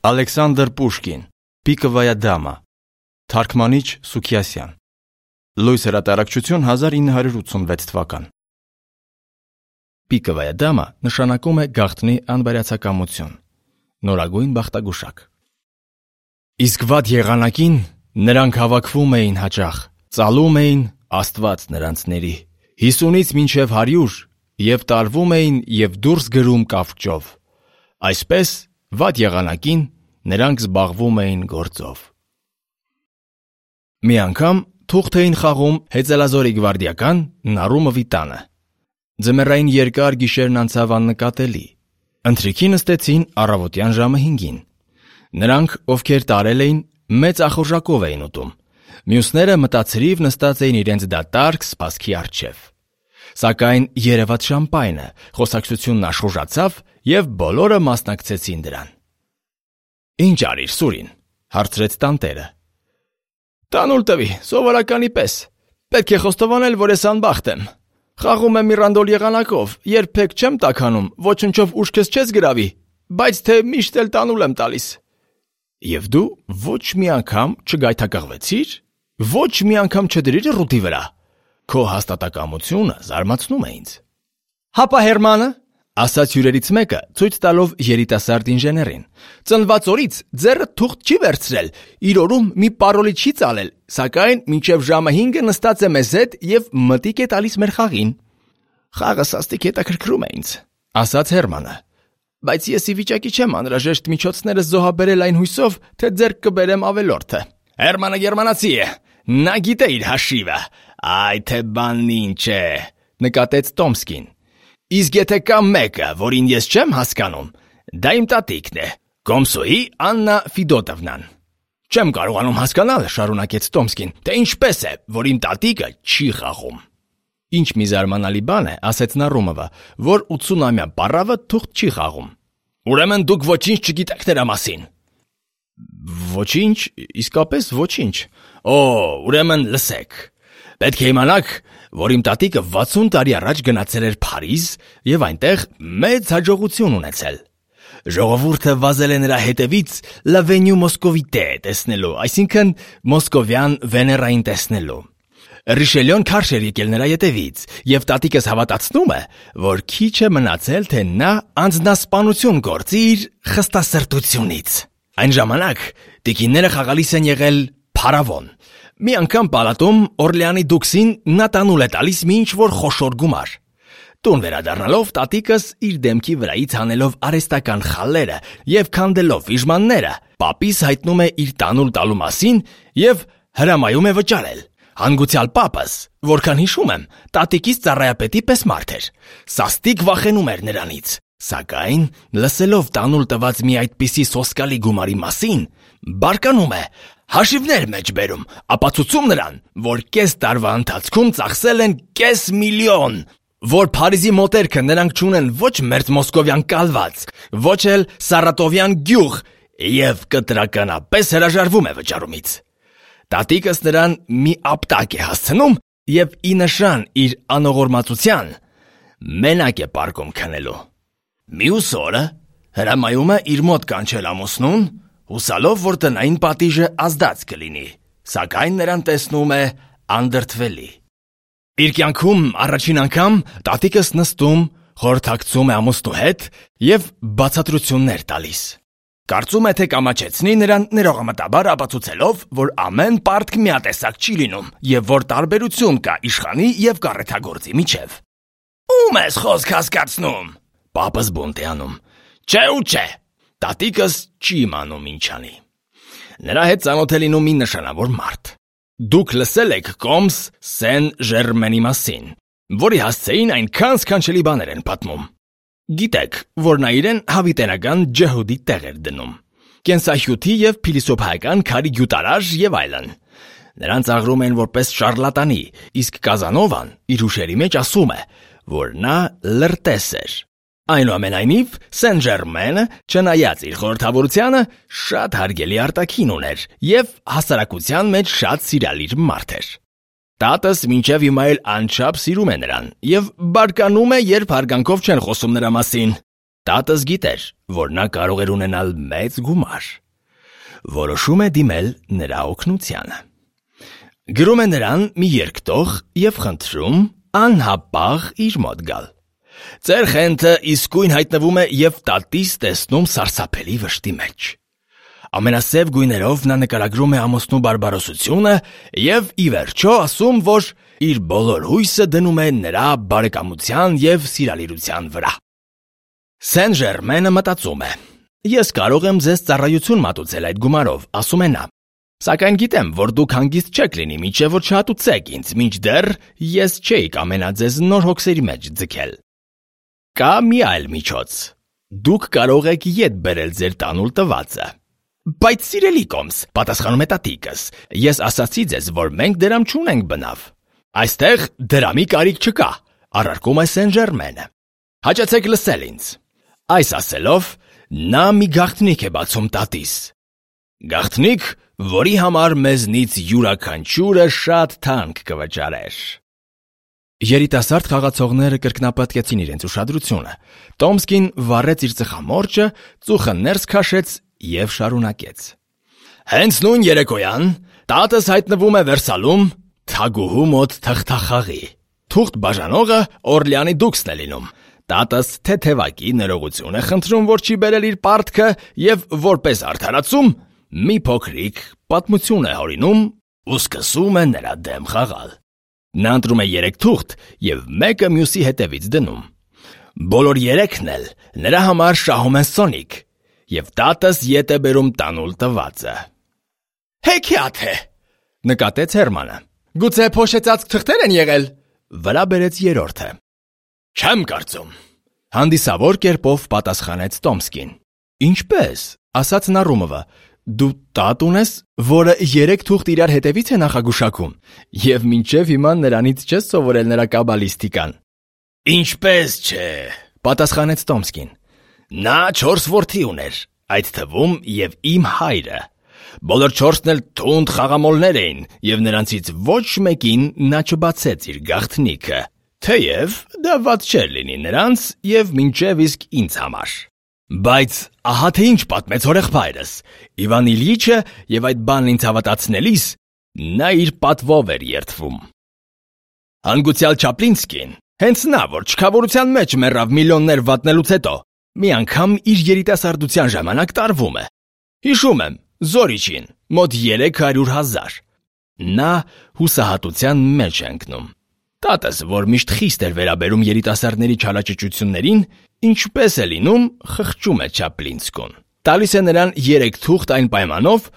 Ալեքսանդր Պուշկին, Պիկովայա դամա, թարգմանիչ Սուքիասյան, Լույս հրատարակչություն 1986 թվական։ Պիկովայա դամա նշանակում է գաղտնի անբարյացակամություն, նորագույն բախտագուշակ։ Իսկ վատ եղանակին նրանք հավաքվում էին հաճախ, ծալում էին Աստված նրանցների, 50-ից մինչև 100 և տարվում էին և դուրս գրում կավճով։ Այսպես վատ եղանակին նրանք զբաղվում էին գործով։ Մի անգամ թուղթ էին խաղում Հեծելազորի գվարդիական Նարումովի տանը։ Ձմեռային երկար գիշերն անցավ աննկատելի։ Ընթրիքի նստեցին առավոտյան ժամը 5-ին։ Նրանք, ովքեր տարել էին, մեծ ախորժակով էին ուտում։ Մյուսները մտածրիվ նստած էին իրենց դատարկ սպասքի առջև։ Սակայն երևաց շամպայնը, խոսակցությունն աշխուժացավ և բոլորը մասնակցեցին դրան։ «Ինչ արիր, Սուրին», հարցրեց տանտերը։ «Տանուլ տվի, սովորականի պես։ Պետք է խոստովանել, որ ես անբախտ եմ։ Խաղում եմ Միրանդոլ եղանակով, երբեք չեմ տաքանում, ոչնչով ուշքս չես գրավի, բայց թե միշտ էլ տանուլ եմ տալիս»։ «Եվ դու ոչ մի անգամ չգայթակղվեցիր, ոչ մի անգամ չդրիր ռուտի վրա։ Քո հաստատակամությունը զարմացնում է ինձ»։ «Հապա Հերմանը», ասաց հյուրերից մեկը, ցույց տալով երիտասարդ ինժեներին, «ծնված օրից ձեռը թուղթ չի վերցրել, իր օրում մի պարոլի չի ծալել, սակայն մինչև ժամը 5-ը նստած է մեզ հետ և մտիկ է տալիս մեր խաղին»։ «Խաղը սաստիկ հետաքրքրում է ինձ», ասաց Հերմանը, «բայց ես ի վիճակի չեմ անհրաժեշտ միջոցներս զոհաբերել այն հույսով, թե ձեռք կբերեմ ավելորդը»։ «Հերմանը գերմանացի է, նա գիտե իր հաշիվը, այ թե բանն ինչ է», նկատեց Տոմսկին։ «Իսկ եթե կա մեկը, որին ես չեմ հասկանում, դա իմ տատիկն է, Կոմսոյի Աննա Ֆիդոտովնան»։ «Չեմ կարողանում հասկանալ», շարունակեց Տոմսկին, «թե ինչպես է, որ իմ տատիկը չի խաղում»։ «Ինչ մի զարմանալի բան է», ասաց Նարումովը, «որ 80-ամյա պառավը թուղթ չի խաղում»։ «Ուրեմն դուք ոչինչ չգիտեք նրա մասին»։ «Ոչինչ, իսկապես ոչինչ»։ «Օ, ուրեմն լսեք։ Պետք է իմանաք, որ իմ տատիկը 60 տարի առաջ գնացել էր Փարիզ և այնտեղ մեծ հաջողություն ունեցել։ Ժողովուրդը վազել է նրա հետևից L'avenue Moscovite տեսնելու, այսինքն մոսկովյան Վեներային տեսնելու։ Ռիշելյոն քարշ էր եկել նրա ետևից, և տատիկս հավատացնում է, որ քիչ է մնացել, թե նա անձնասպանություն գործի իր խստասրտությունից։ Այն ժամանակ տիկինները խաղալիս են եղել փարավոն։ Մի անգամ պալատում Օրլեանի դուքսին նա տանուլ է տալիս մի ինչ-որ խոշոր գումար։ Տուն վերադառնալով տատիկս իր դեմքի վրայից հանելով արհեստական խալերը և քանդելով վիժմանները, պապիս հայտնում է իր տանուլ տալու մասին և հրամայում է վճարել։ Հանգուցյալ պապս, որքան հիշում եմ, տատիկիս ծառայապետի պես մարդ էր, սաստիկ վախենում էր նրանից, սակայն լսելով տանուլ տված մի այդպիսի սոսկալի գումարի մասին, բարկանում է, հաշիվներ մեջ բերում, ապացուցում նրան, որ կես տարվա ընթացքում ծախսել են $500,000, որ Փարիզի մոտերքը նրանք չունեն ոչ մերձ մոսկովյան կալված, ոչ էլ սարատովյան գյուղ և կտրականապես հրաժարվում է վճարումից։ Տատիկս նրան մի ապտակ է հասցնում և ի նշան իր անողորմածության մենակ է պարկում քնելու։ Մյուս օրը հրամայում է իր մոտ կանչել ամուսնուն, հուսալով, որ տնային պատիժը ազդած կլինի, սակայն նրան տեսնում է անդրդվելի։ Իր կյանքում առաջին անգամ տատիկս նստում, խորհրդակցում է ամուսնու հետ և բացատրություններ տալիս։ Կարծում է, թե կամաչեցնի նրան ներողամտաբար ապացուցելով, որ ամեն պարտք միատեսակ չի լինում և որ տարբերություն կա իշխանի և կառեթագործի միջև։ «Ում ես խոսք հասկացնում»։ Պապս բունտ է անում։ «Չէ ու չէ»։ Տատիկս չի իմանում ինչ անի։ Նրա հետ ծանոթ է լինում մի նշանավոր մարդ։ Դուք լսել եք Կոմս Սեն-Ժերմենի մասին, որի հասցեին այնքան սքանչելի բաներ են պատմում։ Գիտեք, որ նա իրեն հավիտենական ջհուդի տեղ էր դնում, կենսահյութի և փիլիսոփայական քարի գյուտարաժ և այլն։ Նրան ծաղրում են որպես շարլատանի, իսկ Կազանովան իր հուշերի մեջ ասում է, որ նա լրտես էր։ Այնուամենայնիվ, Սեն-Ժերմենը, չնայած իր խորհրդավորությանը, շատ հարգելի արտաքին ուներ և հասարակության մեջ շատ սիրալիր մարդ էր։ Տատս մինչև հիմա էլ անչափ սիրում է նրան և բարկանում է, երբ հարգանքով չեն խոսում նրա մասին։ Տատս գիտեր, որ նա կարող էր ունենալ մեծ գումար։ Որոշում է դիմել նրա օգնությանը։ Գրում է նրան մի երկտող և խնդրում անհապաղ իր մոտ գալ։ Ձեր խենթը իսկույն հայտնվում է և տատիս տեսնում սարսափելի վշտի մեջ։ Ամենասև գույներով նա նկարագրում է ամուսնու բարբարոսությունը և ի վերջո ասում, որ իր բոլոր հույսը դնում է նրա բարեկամության և սիրալիրության վրա։ Սեն-Ժերմենը մտածում է. «Ես կարող եմ ձեզ ծառայություն մատուցել այդ գումարով», ասում է նա, «սակայն գիտեմ, որ դուք հանգիստ չեք լինի, մինչև որ չհատուցեք ինձ, մինչդեռ ես չէի կամենա ձեզ նոր հոգսերի մեջ ձգել։ Կա մի այլ միջոց. դուք կարող եք ետ բերել ձեր տանուլ տվածը»։ «Բայց սիրելի Կոմս», պատասխանում է տատիկս, «ես ասացի ձեզ, որ մենք դրամ չունենք բնավ»։ «Այստեղ դրամի կարիք չկա», առարկում է Սեն-Ժերմենը։ «Հաճեցեք լսել ինձ»։ Այս ասելով նա մի գաղտնիք է բացում տատիս։ Գաղտնիք, որի համար մեզնից յուրաքանչյուրը շատ թանկ կվճարեր։ Երիտասարդ խաղացողները կրկնապատկեցին իրենց ուշադրությունը։ Տոմսկին վառեց իր ծխամորճը, ծուխը ներս քաշեց և շարունակեց. «Հենց նույն երեկոյան տատս հայտնվում է Վերսալում թագուհու մոտ թղթախաղի։ Թուղթ բաժանողը Օրլեանի դուքսն է լինում։ Տատս թեթևակի ներողություն է խնդրում, որ չի բերել իր պարտքը և որպես արդարացում մի փոքրիկ պատմություն է հորինում ու սկսում է նրա դեմ խաղալ։ Նա ընտրում է 3 թուղթ և մեկը մյուսի հետևից դնում։ Բոլոր 3-ն էլ նրա համար շահում են սոնիկ, և տատս ետ է բերում տանուլ տվածը»։ «Հեքիաթ է», նկատեց Հերմանը։ «Գուցե փոշեցած թղթեր են եղել»։ Վրա բերեց երրորդը։ «Չեմ կարծում», հանդիսավոր կերպով պատասխանեց Տոմսկին։ «Ինչպե՞ս», ասաց Նառումովը, «դու տատ ունես, որը 3 թուղթ իրար հետևից է նախագուշակում, և մինչև հիմա նրանից չես սովորել նրա կաբալիստիկան»։ «Ինչպես չէ», պատասխանեց Տոմսկին։ «Նա 4 որդի ուներ, այդ թվում և իմ հայրը։ Բոլոր 4-ն էլ թունդ խաղամոլներ էին, և նրանցից ոչ մեկին նա չբացեց իր գաղտնիքը, թեև դա վատ չէր լինի նրանց և մինչև իսկ ինձ համար։ Բայց ահա թե ինչ պատմեց հորեղբայրս։ Իվան Իլյիչը և այդ բանն ինձ հավատացնելիս նա իր պատվով էր երդվում։ Հանգուցյալ Չապլինսկին, հենց նա, որ չքավորության մեջ մեռավ միլիոններ վատնելուց հետո, մի անգամ իր երիտասարդության ժամանակ տարվում է։ Հիշում եմ, Զորիչին, մոտ 300,000։ Նա հուսահատության մեջ է ընկնում։ Տատս, որ միշտ խիստ էր վերաբերում երիտասարդների չարաճճություններին, ինչպես է լինում, խղճում է Չապլինսկուն։ Տալիս է նրան 3 թուղթ այն պայմանով,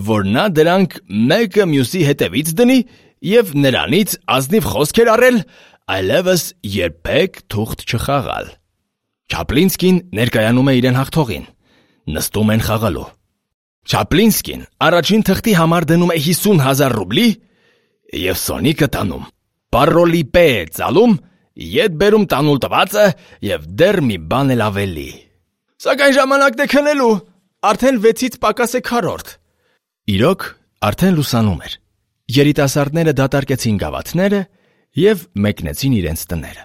որ նա դրանք մեկը մյուսի հետևից դնի և նրանից ազնիվ խոսք էր առել այլևս երբեք թուղթ չխաղալ։ Չապլինսկին ներկայանում է իրեն հաղթողին։ Նստում են խաղալու։ Չապլինսկին առաջին թղթի համար դնում է 50,000 ռուբլի և սոնիկը տանում։ Պարոլի պե է ծալում, ետ բերում տանուլ տվածը և դեռ մի բան էլ ավելի։ Սակայն ժամանակն է քնելու, արդեն 6-ից պակաս է 4-րդ։ Իրոք, արդեն լուսանում էր։ Երիտասարդները դատարկեցին գավաթները և մեկնեցին իրենց տները։